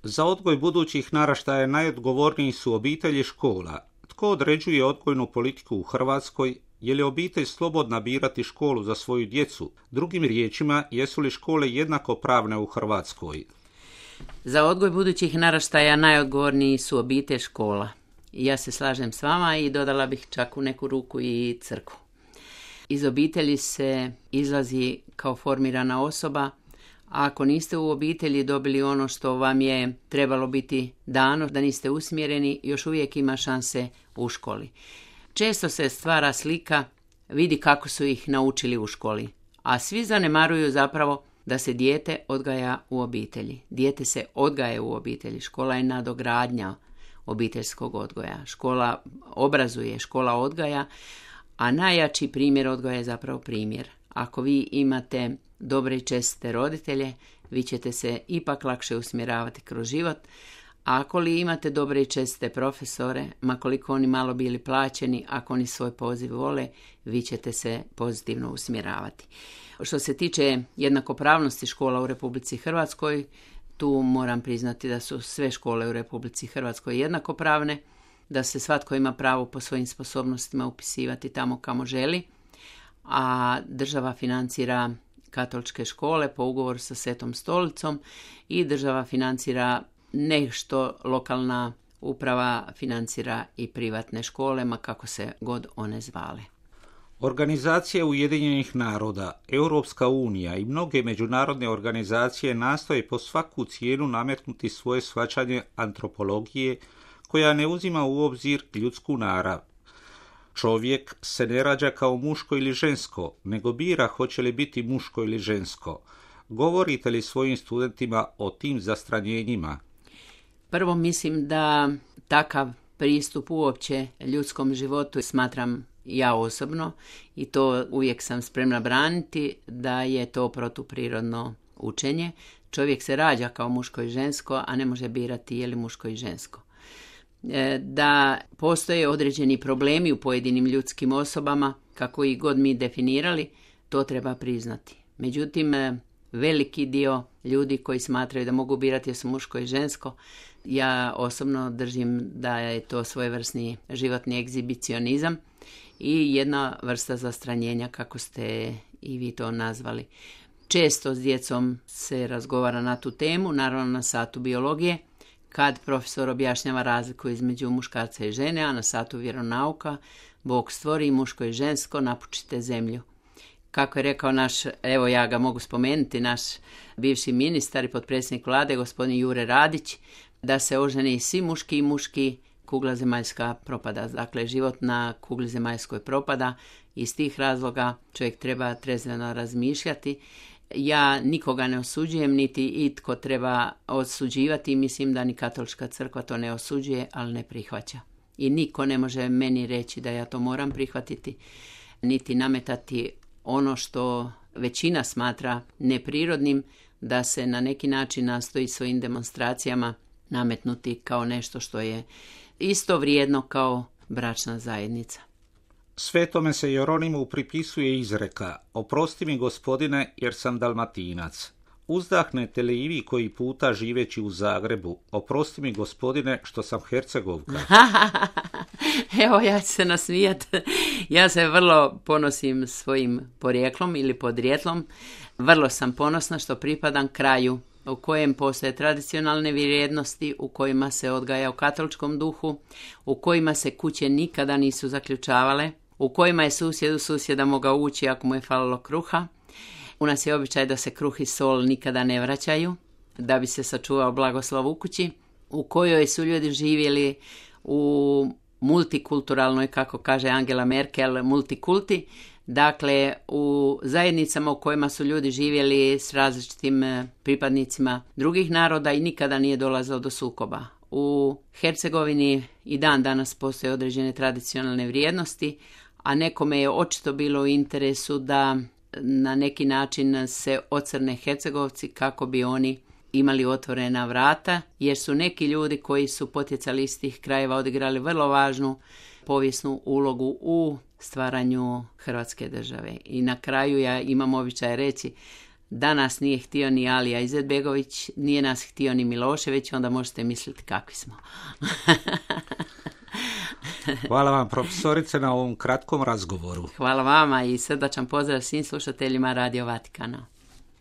Za odgoj budućih naraštaja najodgovorniji su obitelji i škola. Tko određuje odgojnu politiku u Hrvatskoj? Je li obitelj slobodna birati školu za svoju djecu? Drugim riječima, jesu li škole jednakopravne u Hrvatskoj? Za odgoj budućih naraštaja najodgovorniji su obitelj, škola. Ja se slažem s vama i dodala bih čak u neku ruku i crkvu. Iz obitelji se izlazi kao formirana osoba, a ako niste u obitelji dobili ono što vam je trebalo biti dano, da niste usmjereni, još uvijek ima šanse u školi. Često se stvara slika, vidi kako su ih naučili u školi, a svi zanemaruju zapravo da se dijete odgaja u obitelji. Dijete se odgaja u obitelji, škola je nadogradnja obiteljskog odgoja. Škola obrazuje, škola odgaja, a najjači primjer odgoja je zapravo primjer. Ako vi imate dobre i čestite roditelje, vi ćete se ipak lakše usmjeravati kroz život. A ako li imate dobre i čestite profesore, ma koliko oni malo bili plaćeni, ako oni svoj poziv vole, vi ćete se pozitivno usmjeravati. Što se tiče jednakopravnosti škola u Republici Hrvatskoj, tu moram priznati da su sve škole u Republici Hrvatskoj jednakopravne, da se svatko ima pravo po svojim sposobnostima upisivati tamo kamo želi, a država financira katoličke škole po ugovoru sa Svetom stolicom i država financira nešto, lokalna uprava financira i privatne škole, ma kako se god one zvale. Organizacije Ujedinjenih naroda, Europska unija i mnoge međunarodne organizacije nastoje po svaku cijenu nametnuti svoje shvaćanje antropologije koja ne uzima u obzir ljudsku narav. Čovjek se ne rađa kao muško ili žensko, nego bira hoće li biti muško ili žensko. Govorite li svojim studentima o tim zastranjenjima? Prvo mislim da takav pristup uopće ljudskom životu smatram ja osobno i to uvijek sam spremna braniti da je to protuprirodno učenje. Čovjek se rađa kao muško i žensko, a ne može birati je li muško i žensko. Da postoje određeni problemi u pojedinim ljudskim osobama, kako ih god mi definirali, to treba priznati. Međutim, veliki dio ljudi koji smatraju da mogu birati jesu muško i žensko, ja osobno držim da je to svojevrsni životni egzibicionizam i jedna vrsta zastranjenja, kako ste i vi to nazvali. Često s djecom se razgovara na tu temu, naravno na satu biologije, kad profesor objašnjava razliku između muškarca i žene, a na satu vjeronauka Bog stvori muško i žensko, napučite zemlju. Kako je rekao naš, evo ja ga mogu spomenuti, naš bivši ministar i potpredsjednik vlade, gospodin Jure Radić, da se oženi svi muški i muški, kugla zemaljska propada. Dakle, život na kugli zemaljskoj propada. Iz tih razloga čovjek treba trezveno razmišljati. Ja nikoga ne osuđujem, niti itko treba osuđivati. Mislim da ni katolička crkva to ne osuđuje, ali ne prihvaća. I niko ne može meni reći da ja to moram prihvatiti, niti nametati ono što većina smatra neprirodnim, da se na neki način nastoji svojim demonstracijama nametnuti kao nešto što je isto vrijedno kao bračna zajednica. Svetome se Jeronimu pripisuje izreka: oprosti mi gospodine jer sam Dalmatinac. Uzdahnete li i vi koji puta živeći u Zagrebu: oprosti mi gospodine što sam Hercegovka? Evo, ja ću se nasmijati. Ja se vrlo ponosim svojim porijeklom ili podrijetlom. Vrlo sam ponosna što pripadam kraju u kojem postoje tradicionalne vrijednosti, u kojima se odgaja u katoličkom duhu, u kojima se kuće nikada nisu zaključavale, u kojima je susjed u susjeda mogao ući ako mu je falilo kruha. U nas je običaj da se kruh i sol nikada ne vraćaju, da bi se sačuvao blagoslov u kući, u kojoj su ljudi živjeli u multikulturalnoj, kako kaže Angela Merkel, multikulti, dakle u zajednicama u kojima su ljudi živjeli s različitim pripadnicima drugih naroda i nikada nije dolazilo do sukoba. U Hercegovini i dan danas postoje određene tradicionalne vrijednosti, a nekome je očito bilo u interesu da na neki način se ocrne Hercegovci kako bi oni imali otvorena vrata, jer su neki ljudi koji su potjecali iz tih krajeva odigrali vrlo važnu povijesnu ulogu u stvaranju Hrvatske države. I na kraju ja imam običaj reći Da nas nije htio ni Alija Izetbegović, nije nas htio ni Milošević, onda možete misliti kakvi smo. Hvala vam, profesorice, na ovom kratkom razgovoru. Hvala vama i srdačan pozdrav svim slušateljima Radio Vatikana.